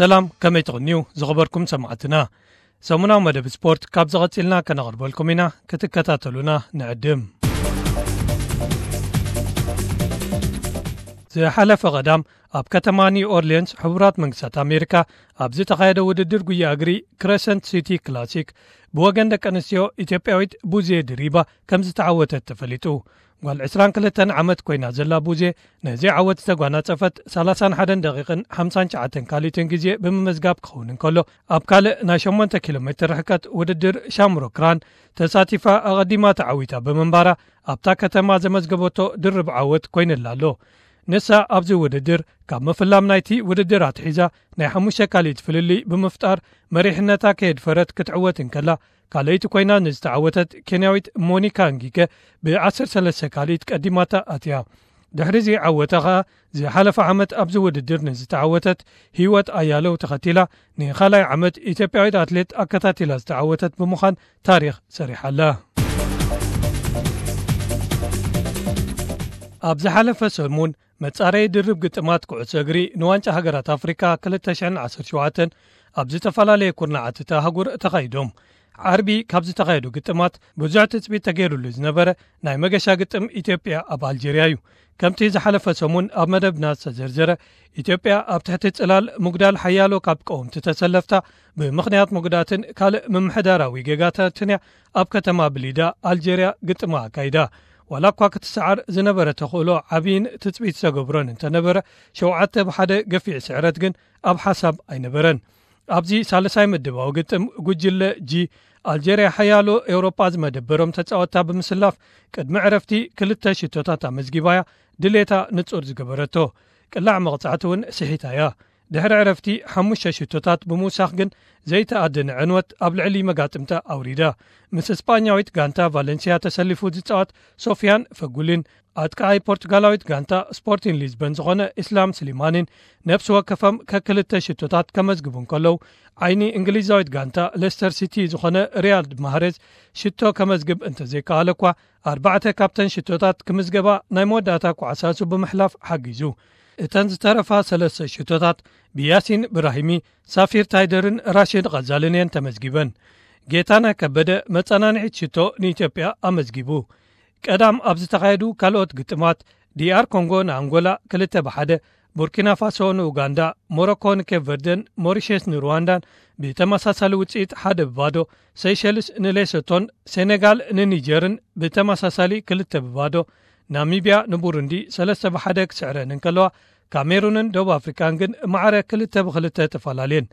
ሰላም፣ ከመይ ትቕንዩ ዝኸበርኩም ሰማዕትና? ሰሙናዊ መደብ ስፖርት ካብ ዝቐጺልና ከነቕርበልኩም ኢና፣ ክትከታተሉና ንዕድም። ዝሓለፈ ቀዳም ኣብ ከተማ ኒው ኦርሊንስ ሕቡራት መንግስታት ኣሜሪካ ኣብ ዝተኻየደ ውድድር ጉያ እግሪ ክረሰንት ሲቲ ክላሲክ ብወገን ደቂ ኣንስትዮ ኢትዮጵያዊት ቡዜ ድሪባ ከም ዝተዓወተት ተፈሊጡ። ጓል ዕስራን ክልተን ዓመት ኮይና ዘላ ቡዜ ነዚ ዓወት ዝተጓናጸፈት ሰላሳን ሓደን ደቂቕን ሓምሳን ትሽዓተን ካልኢትን ግዜ ብምምዝጋብ ክኸውን እንከሎ፣ ኣብ ካልእ ናይ ሸሞንተ ኪሎ ሜትር ርሕቀት ውድድር ሻምሮክራን ተሳቲፋ ኣቐዲማ ተዓዊታ ብምንባራ ኣብታ ከተማ ዘመዝገበቶ ድርብ ዓወት ኮይንላ ኣሎ። ንሳ ኣብዚ ውድድር ካብ ምፍላም ናይቲ ውድድር ኣትሒዛ ናይ ሓሙሽተ ካልኢት ፍልልይ ብምፍጣር መሪሕነታ ከየድፈረት ክትዕወት እንከላ፣ ካልኣይቲ ኮይና ንዝተዓወተት ኬንያዊት ሞኒካ እንጊከ ብ ዓሰርተ ሰለስተ ካልኢት ቀዲማታ ኣትያ። ድሕሪ እዚ ዓወታ ኸኣ ዝሓለፈ ዓመት ኣብዚ ውድድር ንዝተዓወተት ህይወት ኣያለው ተኸቲላ ንኻልኣይ ዓመት ኢትዮጵያዊት ኣትሌት ኣከታቲላ ዝተዓወተት ብምዃን ታሪኽ ሰሪሓ ኣላ። ኣብ ዝሓለፈ ሰሙን መጻረዪ ድርብ ግጥማት ኩዕሶ እግሪ ንዋንጫ ሃገራት ኣፍሪካ ክልተ ሽሕን ዓሰርተ ሸውዓተን ኣብ ዝተፈላለየ ኩርናዓት እታ ኣህጉር ተኻይዶም። ዓርቢ ካብ ዝተኻየዱ ግጥማት ብዙሕ ትጽቢት ተገይሩሉ ዝነበረ ናይ መገሻ ግጥም ኢትዮጵያ ኣብ ኣልጀርያ እዩ። ከምቲ ዝሓለፈ ሰሙን ኣብ መደብና ዝተዘርዘረ፣ ኢትዮጵያ ኣብ ትሕቲ ጽላል ምጉዳል ሓያሎ ካብ ቀወምቲ ተሰለፍታ ብምኽንያት መጉዳትን ካልእ ምምሕዳራዊ ጌጋታትን እያ ኣብ ከተማ ብሊዳ ኣልጀርያ ግጥማ ኣካይዳ። ዋላ እኳ ክትሰዓር ዝነበረ ተኽእሎ ዓብይን ትጽቢት ዝተገብሮን እንተነበረ፣ ሸውዓተ ብሓደ ገፊዕ ስዕረት ግን ኣብ ሓሳብ ኣይነበረን። ኣብዚ ሳልሳይ ምድባዊ ግጥም ጉጅለ ጂ፣ ኣልጀርያ ሓያሎ ኤውሮጳ ዝመደበሮም ተጻወትታ ብምስላፍ ቅድሚ ዕረፍቲ ክልተ ሽቶታት ኣመዝጊባ እያ ድሌታ ንጹር ዝገበረቶ። ቅላዕ መቕጻዕቲ እውን ስሒታ እያ። ድሕሪ ዕረፍቲ ሓሙሽተ ሽቶታት ብምውሳኽ ግን ዘይተኣደነ ዕንወት ኣብ ልዕሊ መጋጥምታ ኣውሪዳ። ምስ እስጳኛዊት ጋንታ ቫለንሲያ ተሰሊፉ ዝጻወት ሶፊያን ፈጉሊን ኣጥቃዓይ ፖርቱጋላዊት ጋንታ ስፖርቲን ሊዝበን ዝኾነ ኢስላም ስሊማኒን ነፍሲ ወከፎም ከክልተ ሽቶታት ከመዝግቡ እንከለዉ፣ ዓይኒ እንግሊዛዊት ጋንታ ሌስተር ሲቲ ዝኾነ ሪያድ ማህሬዝ ሽቶ ከመዝግብ እንተዘይከኣለ እኳ፣ ኣርባዕተ ካብተን ሽቶታት ክምዝገባ ናይ መወዳእታ ኳዕሳሱ ብምሕላፍ ሓጊዙ። እተን ዝተረፋ ሰለስተ ሽቶታት ብያሲን ብራሂሚ፣ ሳፊር ታይደርን ራሽድ ቐዛልን እየን ተመዝጊበን። ጌታነህ ከበደ መጸናንዒት ሽቶ ንኢትዮጵያ ኣመዝጊቡ። ቀዳም ኣብ ዝተኻየዱ ካልኦት ግጥማት፣ ዲኣር ኮንጎ ንኣንጎላ ክልተ ብሓደ፣ ቡርኪና ፋሶ ንኡጋንዳ፣ ሞሮኮ ንኬፕ ቨርደን፣ ሞሪሸስ ንሩዋንዳን ብተመሳሳሊ ውጽኢት ሓደ ብባዶ፣ ሴሸልስ ንሌሶቶን ሴኔጋል ንኒጀርን ብተመሳሳሊ ክልተ ብባዶ፣ ናሚብያ ንቡሩንዲ ሰለስተ ብሓደ ክስዕረን እንከለዋ፣ ካሜሩንን ደቡብ ኣፍሪካን ግን ማዕረ ክልተ ብክልተ ተፈላለየን።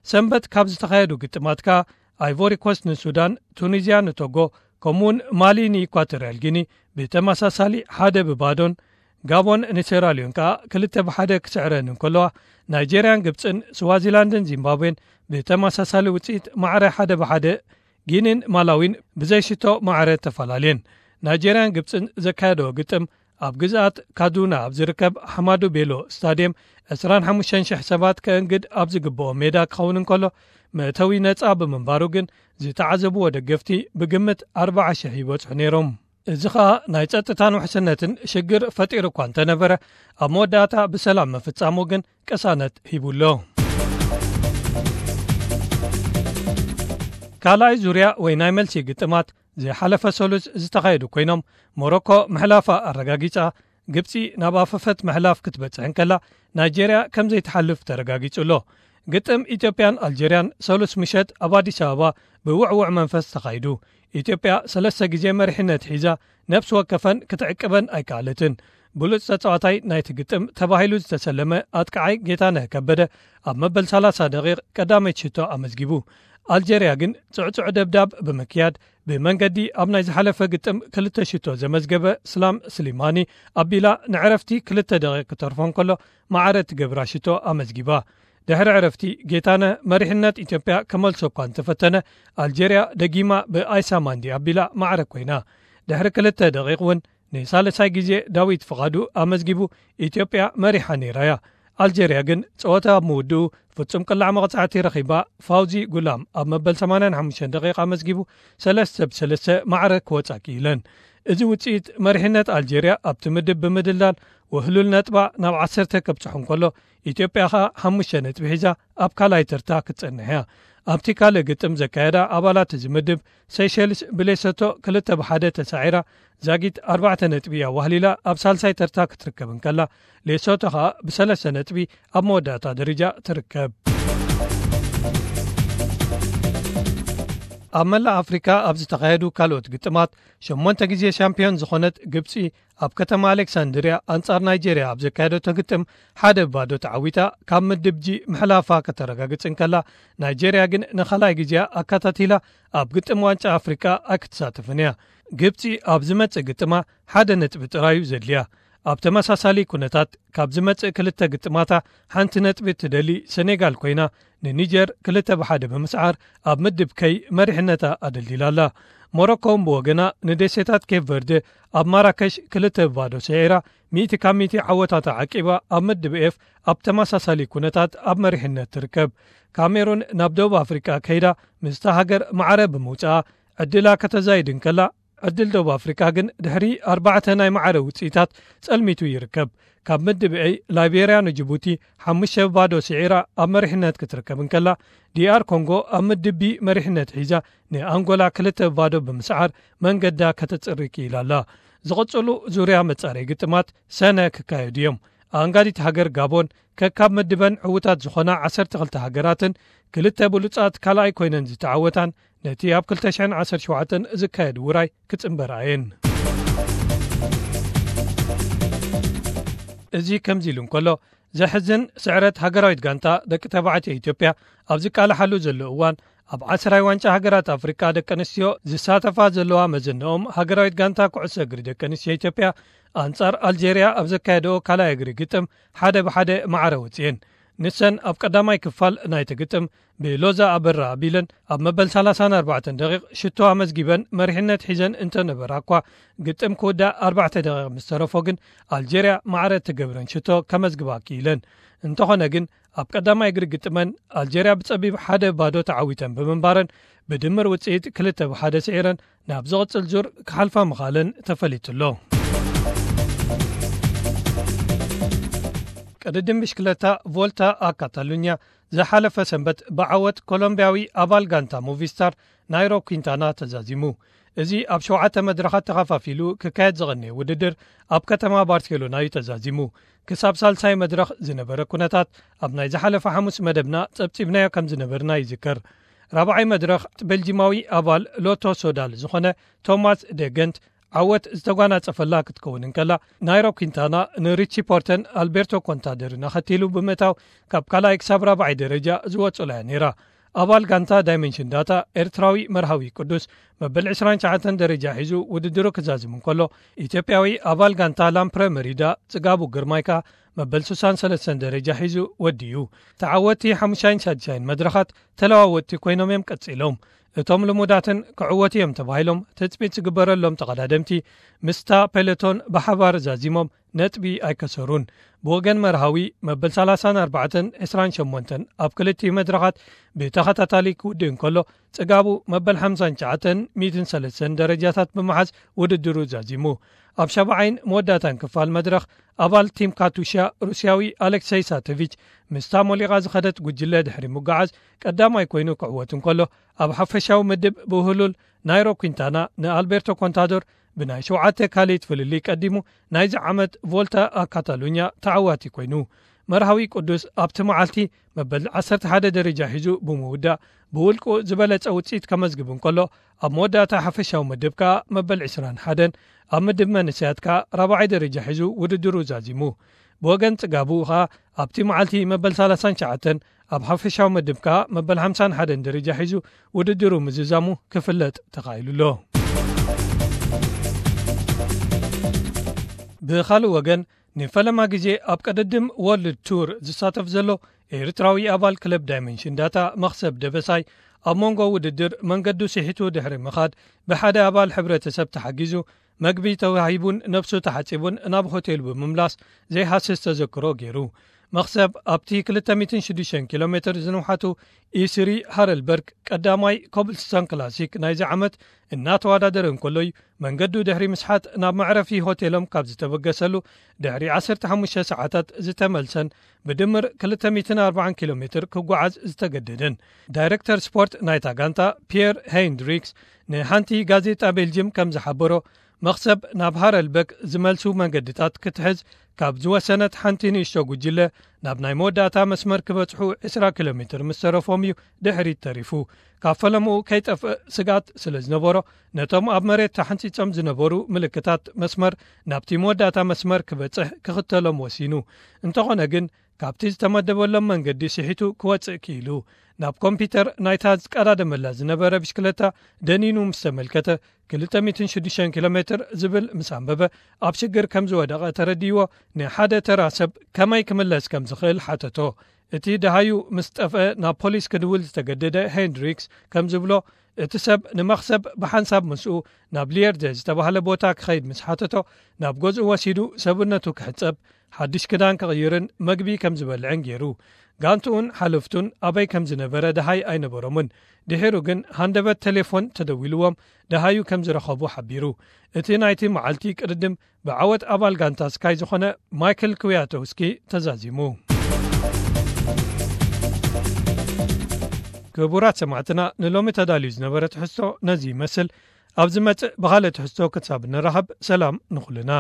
ሰንበት ካብ ዝተኻየዱ ግጥማት ከኣ፣ ኣይቮሪ ኮስት ንሱዳን፣ ቱኒዝያ ንቶጎ፣ ከምኡውን ማሊ ንኢኳቶርያል ጊኒ ብተመሳሳሊ ሓደ ብባዶን፣ ጋቦን ንሴራልዮን ከኣ ክልተ ብሓደ ክስዕረን እንከለዋ፣ ናይጄርያን ግብጽን ስዋዚላንድን ዚምባብዌን ብተመሳሳሊ ውጽኢት ማዕረ ሓደ ብሓደ፣ ጊኒን ማላዊን ብዘይሽቶ ማዕረ ተፈላለየን። ናይጄርያን ግብጽን ዘካየደዎ ግጥም ኣብ ግዝኣት ካዱና ኣብ ዝርከብ ሓማዱ ቤሎ ስታድየም ዕስራን ሓሙሽተን ሽሕ ሰባት ከእንግድ ኣብ ዝግብኦ ሜዳ ክኸውን እንከሎ፣ መእተዊ ነጻ ብምንባሩ ግን ዝተዓዘብዎ ደገፍቲ ብግምት ኣርባዓ ሽሕ ይበጽሑ ነይሮም። እዚ ኸኣ ናይ ጸጥታን ውሕስነትን ሽግር ፈጢሩ እኳ እንተነበረ፣ ኣብ መወዳእታ ብሰላም ምፍጻሙ ግን ቅሳነት ሂቡ ኣሎ። ካልኣይ ዙርያ ወይ ናይ መልሲ ግጥማት ዝሓለፈ ሰሉስ ዝተኻየዱ ኮይኖም፣ ሞሮኮ ምሕላፋ ኣረጋጊጻ፣ ግብጺ ናብ ኣፈፈት ምሕላፍ ክትበጽሕ እንከላ፣ ናይጄርያ ከም ዘይትሓልፍ ተረጋጊጹ ኣሎ። ግጥም ኢትዮጵያን ኣልጀርያን ሰሉስ ምሸት ኣብ ኣዲስ ኣበባ ብውዕውዕ መንፈስ ተኻይዱ። ኢትዮጵያ ሰለስተ ግዜ መሪሕነት ሒዛ፣ ነፍሲ ወከፈን ክትዕቅበን ኣይከኣለትን። ብሉጽ ተጻዋታይ ናይቲ ግጥም ተባሂሉ ዝተሰለመ ኣጥቃዓይ ጌታነህ ከበደ ኣብ መበል ሰላሳ ደቂቕ ቀዳመይቲ ሽቶ ኣመዝጊቡ። ኣልጀርያ ግን ጽዕጹዕ ደብዳብ ብምክያድ ብመንገዲ ኣብ ናይ ዝሓለፈ ግጥም ክልተ ሽቶ ዘመዝገበ ስላም ስሊማኒ ኣቢላ ንዕረፍቲ ክልተ ደቂቕ ክተርፎ እንከሎ ማዕረ ትገብራ ሽቶ ኣመዝጊባ። ድሕሪ ዕረፍቲ ጌታነህ መሪሕነት ኢትዮጵያ ከመልሶ እኳ እንተፈተነ ኣልጀርያ ደጊማ ብኣይሳ ማንዲ ኣቢላ ማዕረ ኮይና። ድሕሪ ክልተ ደቂቕ እውን ንሳልሳይ ግዜ ዳዊት ፍቓዱ ኣመዝጊቡ ኢትዮጵያ መሪሓ ነይራ እያ። ኣልጀርያ ግን ጸወታ ኣብ ምውድኡ ፍጹም ቅላዕ መቕጻዕቲ ረኺባ ፋውዚ ጉላም ኣብ መበል ሰማንያን ሓሙሽተን ደቂቕ ኣመዝጊቡ ሰለስተ ብ ሰለስተ ማዕረ ክወጻ ክኢለን። እዚ ውጽኢት መሪሕነት ኣልጀርያ ኣብቲ ምድብ ብምድልዳል ውህሉል ነጥባ ናብ ዓሰርተ ከብጽሑ እንከሎ፣ ኢትዮጵያ ኸኣ ሓሙሽተ ነጥቢ ሒዛ ኣብ ካልኣይ ተርታ ክትጸንሕ እያ። ኣብቲ ካልእ ግጥም ዘካየዳ ኣባላት እዚ ምድብ፣ ሴሸልስ ብሌሶቶ ክልተ ብሓደ ተሳዒራ፣ ዛጊት ኣርባዕተ ነጥቢ ኣዋህሊላ ኣብ ሳልሳይ ተርታ ክትርከብ እንከላ፣ ሌሶቶ ኸኣ ብሰለስተ ነጥቢ ኣብ መወዳእታ ደረጃ ትርከብ። ኣብ መላእ ኣፍሪካ ኣብ ዝተኻየዱ ካልኦት ግጥማት፣ ሸሞንተ ግዜ ሻምፒዮን ዝኾነት ግብፂ፣ ኣብ ከተማ ኣሌክሳንድርያ ኣንጻር ናይጄርያ ኣብ ዘካየደቶ ግጥም ሓደ ባዶ ተዓዊታ ካብ ምድብ ጂ ምሕላፋ ከተረጋግጽ እንከላ፣ ናይጄርያ ግን ንኻልኣይ ግዜኣ ኣካታቲላ ኣብ ግጥም ዋንጫ ኣፍሪቃ ኣይክትሳተፍን እያ። ግብጺ ኣብ ዝመጽእ ግጥማ ሓደ ነጥቢ ጥራዩ ዘድልያ። ኣብ ተመሳሳሊ ኩነታት ካብ ዝመጽእ ክልተ ግጥማታ ሓንቲ ነጥቢ ትደሊ ሰኔጋል ኮይና፣ ንኒጀር ክልተ ብሓደ ብምስዓር ኣብ ምድብ ከይ መሪሕነታ ኣደልዲላ ኣላ። ሞሮኮ እውን ብወገና ንደሴታት ኬፕ ቨርደ ኣብ ማራከሽ ክልተ ብባዶ ስዒራ፣ ሚእቲ ካብ ሚእቲ ዓወታታ ዓቂባ ኣብ ምድብ ኤፍ ኣብ ተመሳሳሊ ኩነታት ኣብ መሪሕነት ትርከብ። ካሜሩን ናብ ደቡብ ኣፍሪቃ ከይዳ ምስታ ሃገር ማዕረ ብምውጽኣ ዕድላ ከተዛይድ እንከላ፣ ዕድል ደቡብ ኣፍሪቃ ግን ድሕሪ ኣርባዕተ ናይ ማዕረ ውጽኢታት ጸልሚቱ ይርከብ። ካብ ምድብ ኤ ላይቤርያ ንጅቡቲ ሓሙሽተ ብባዶ ስዒራ ኣብ መሪሕነት ክትርከብ እንከላ፣ ዲኣር ኮንጎ ኣብ ምድብ ቢ መሪሕነት ሒዛ ንኣንጎላ ክልተ ብባዶ ብምስዓር መንገዳ ከተጽሪ ክኢላ ኣላ። ዝቕጽሉ ዙርያ መጻረይ ግጥማት ሰነ ክካየዱ እዮም። ኣንጋዲት ሃገር ጋቦን ከካብ ምድበን ዕዉታት ዝኾና ዓሰርተ ክልተ ሃገራትን ክልተ ብሉጻት ካልኣይ ኮይነን ዝተዓወታን ነቲ ኣብ ክልተ ሽሕን ዓሰርተ ሸውዓተን ዝካየድ ውራይ ክጽንበራ እየን። እዚ ከምዚ ኢሉ እንከሎ፣ ዘሕዝን ስዕረት ሃገራዊት ጋንታ ደቂ ተባዕትዮ ኢትዮጵያ ኣብ ዝቃልሓሉ ዘሎ እዋን፣ ኣብ ዓስራይ ዋንጫ ሃገራት ኣፍሪቃ ደቂ ኣንስትዮ ዝሳተፋ ዘለዋ መዘንኦም ሃገራዊት ጋንታ ኩዕሶ እግሪ ደቂ ኣንስትዮ ኢትዮጵያ ኣንጻር ኣልጄርያ ኣብ ዘካየደኦ ካልኣይ እግሪ ግጥም ሓደ ብሓደ ማዕረ ወጽኤን። ንሰን ኣብ ቀዳማይ ክፋል ናይቲ ግጥም ብሎዛ ኣበራ ኣቢለን ኣብ መበል ሰላሳን ኣርባዕተን ደቂቕ ሽቶ ኣመዝጊበን መሪሕነት ሒዘን እንተነበራ እኳ፣ ግጥም ክውዳእ ኣርባዕተ ደቂቕ ምስ ተረፎ ግን ኣልጄርያ ማዕረ እትገብረን ሽቶ ከመዝግባ ክኢለን። እንተኾነ ግን ኣብ ቀዳማይ እግሪ ግጥመን ኣልጄርያ ብጸቢብ ሓደ ባዶ ተዓዊተን ብምንባረን ብድምር ውጽኢት ክልተ ብሓደ ስዒረን ናብ ዝቕጽል ዙር ክሓልፋ ምኻለን ተፈሊጡ ኣሎ። ቅድድም ብሽክለታ ቮልታ ኣ ካታሉኛ ዝሓለፈ ሰንበት ብዓወት ኮሎምቢያዊ ኣባል ጋንታ ሞቪስታር ናይሮ ኲንታና ተዛዚሙ። እዚ ኣብ ሸውዓተ መድረኻት ተኸፋፊሉ ክካየድ ዝቐነየ ውድድር ኣብ ከተማ ባርሴሎና እዩ ተዛዚሙ። ክሳብ ሳልሳይ መድረኽ ዝነበረ ኩነታት ኣብ ናይ ዝሓለፈ ሓሙስ መደብና ጸብጺብናዮ ከም ዝነበርና ይዝከር። ራብዓይ መድረኽ ቤልጂማዊ ኣባል ሎቶ ሶዳል ዝኾነ ቶማስ ደገንት ዓወት ዝተጓናጸፈላ ክትከውን እንከላ፣ ናይሮ ኲንታና ንሪቺ ፖርተን ኣልቤርቶ ኮንታደርን ኣኸቲሉ ብምእታው ካብ ካልኣይ ክሳብ ራብዓይ ደረጃ ዝወጸላ እያ ነይራ። ኣባል ጋንታ ዳይመንሽን ዳታ ኤርትራዊ መርሃዊ ቅዱስ መበል ዕስራን ትሽዓተን ደረጃ ሒዙ ውድድሩ ክዛዝም እንከሎ፣ ኢትዮጵያዊ ኣባል ጋንታ ላምፕረ መሪዳ ጽጋቡ ግርማይ ከኣ መበል ስሳን ሰለስተን ደረጃ ሒዙ ወዲኡ። ተዓወቲ ሓሙሻይን ሳድሻይን መድረኻት ተለዋወጥቲ ኮይኖም እዮም ቀጺሎም። እቶም ልሙዳትን ክዕወቱ እዮም ተባሂሎም ትጽቢት ዝግበረሎም ተቐዳደምቲ ምስታ ፔለቶን ብሓባር ዛዚሞም ነጥቢ ኣይከሰሩን። ብወገን መርሃዊ መበል ሰላሳን ኣርባዕተን ዕስራን ሸሞንተን ኣብ ክልቲኡ መድረኻት ብተኸታታሊ ክውድእ እንከሎ፣ ጽጋቡ መበል ሓምሳን ትሽዓተን ሚእትን ሰለስተን ደረጃታት ብምሓዝ ውድድሩ ዛዚሙ። ኣብ ሻብዓይን መወዳእታን ክፋል መድረኽ ኣባል ቲም ካቱሻ ሩስያዊ ኣሌክሰይ ሳቶቪች ምስታ ሞሊቓ ዝኸደት ጉጅለ ድሕሪ ምጉዓዝ ቀዳማይ ኮይኑ ክዕወት እንከሎ፣ ኣብ ሓፈሻዊ ምድብ ብውህሉል ናይሮ ኲንታና ንኣልቤርቶ ኮንታዶር ብናይ ሸውዓተ ካልኢት ፍልልይ ቀዲሙ ናይዚ ዓመት ቮልታ ኣ ካታሉኛ ተዓዋቲ ኮይኑ። መርሃዊ ቅዱስ ኣብቲ መዓልቲ መበል ዓሰርተ ሓደ ደረጃ ሒዙ ብምውዳእ ብውልቁ ዝበለጸ ውጽኢት ከመዝግብ እንከሎ፣ ኣብ መወዳእታ ሓፈሻዊ ምድብ ከኣ መበል ዕስራን ሓደን ኣብ ምድብ መንእሰያት ከኣ ራብዓይ ደረጃ ሒዙ ውድድሩ ዛዚሙ። ብወገን ጽጋቡ ከኣ ኣብቲ መዓልቲ መበል ሰላሳን ትሽዓተን ኣብ ሓፈሻዊ ምድብ ከኣ መበል ሓምሳን ሓደን ደረጃ ሒዙ ውድድሩ ምዝዛሙ ክፍለጥ ተኻኢሉ ኣሎ። ብኻልእ ወገን፣ ንፈለማ ግዜ ኣብ ቅድድም ወርልድ ቱር ዝሳተፍ ዘሎ ኤርትራዊ ኣባል ክለብ ዳይመንሽን ዳታ መኽሰብ ደበሳይ፣ ኣብ መንጎ ውድድር መንገዱ ስሒቱ ድሕሪ ምኻድ ብሓደ ኣባል ሕብረተሰብ ተሓጊዙ፣ መግቢ ተዋሂቡን ነብሱ ተሓጺቡን ናብ ሆቴል ብምምላስ ዘይሃስስ ተዘክሮ ገይሩ። መኽሰብ ኣብቲ ክልተ ሚእትን ሽዱሽተን ኪሎ ሜትር ዝንውሓቱ ኢስሪ ሃረልበርግ ቀዳማይ ኮብልስቶን ክላሲክ ናይዚ ዓመት እናተወዳደረ እንከሎ እዩ መንገዱ ድሕሪ ምስሓት ናብ መዕረፊ ሆቴሎም ካብ ዝተበገሰሉ ድሕሪ ዓሰርተ ሓሙሽተ ሰዓታት ዝተመልሰን ብድምር ክልተ ሚእትን ኣርባዓን ኪሎ ሜትር ክጓዓዝ ዝተገደደን። ዳይሬክተር ስፖርት ናይታ ጋንታ ፒየር ሄንድሪክስ ንሓንቲ ጋዜጣ ቤልጅም ከም ዝሓበሮ፣ መኽሰብ ናብ ሃረልበክ ዝመልሱ መንገድታት ክትሕዝ ካብ ዝወሰነት ሓንቲ ንእሽቶ ጉጅለ፣ ናብ ናይ መወዳእታ መስመር ክበጽሑ ዕስራ ኪሎ ሜትር ምስ ተረፎም እዩ ድሕሪት ተሪፉ። ካብ ፈለምኡ ከይጠፍእ ስግኣት ስለ ዝነበሮ፣ ነቶም ኣብ መሬት ተሓንጺጾም ዝነበሩ ምልክታት መስመር ናብቲ መወዳእታ መስመር ክበጽሕ ክኽተሎም ወሲኑ። እንተኾነ ግን፣ ካብቲ ዝተመደበሎም መንገዲ ስሒቱ ክወጽእ ክኢሉ። ናብ ኮምፒውተር ናይታ ዝቀዳደመላ ዝነበረ ብሽክለታ ደኒኑ ምስ ተመልከተ፣ ክልተ ሚእትን ሽዱሽተን ኪሎ ሜትር ዝብል ምስ ኣንበበ፣ ኣብ ሽግር ከም ዝወደቐ ተረዲእዎ፣ ንሓደ ተራ ሰብ ከመይ ክምለስ ከም ዝኽእል ሓተቶ። እቲ ደሃዩ ምስ ጠፍአ ናብ ፖሊስ ክድውል ዝተገደደ ሄንድሪክስ ከም ዝብሎ፣ እቲ ሰብ ንመኽሰብ ብሓንሳብ ምስኡ ናብ ሊየርደ ዝተባህለ ቦታ ክኸይድ ምስ ሓተቶ፣ ናብ ገዝኡ ወሲዱ ሰብነቱ ክሕጸብ፣ ሓድሽ ክዳን ክቕይርን መግቢ ከም ዝበልዕን ገይሩ። ጋንትኡን ሓለፍቱን ኣበይ ከም ዝነበረ ደሃይ ኣይነበሮምን። ድሒሩ ግን ሃንደበት ቴሌፎን ተደዊልዎም ደሃዩ ከም ዝረኸቡ ሓቢሩ። እቲ ናይቲ መዓልቲ ቅድድም ብዓወት ኣባል ጋንታ ስካይ ዝኾነ ማይክል ክዊያቶውስኪ ተዛዚሙ። ክቡራት ሰማዕትና፣ ንሎሚ ተዳልዩ ዝነበረ ትሕዝቶ ነዚ ይመስል። ኣብ ዝመጽእ ብኻልእ ትሕዝቶ ክሳብ ንራኸብ፣ ሰላም ንኹልና።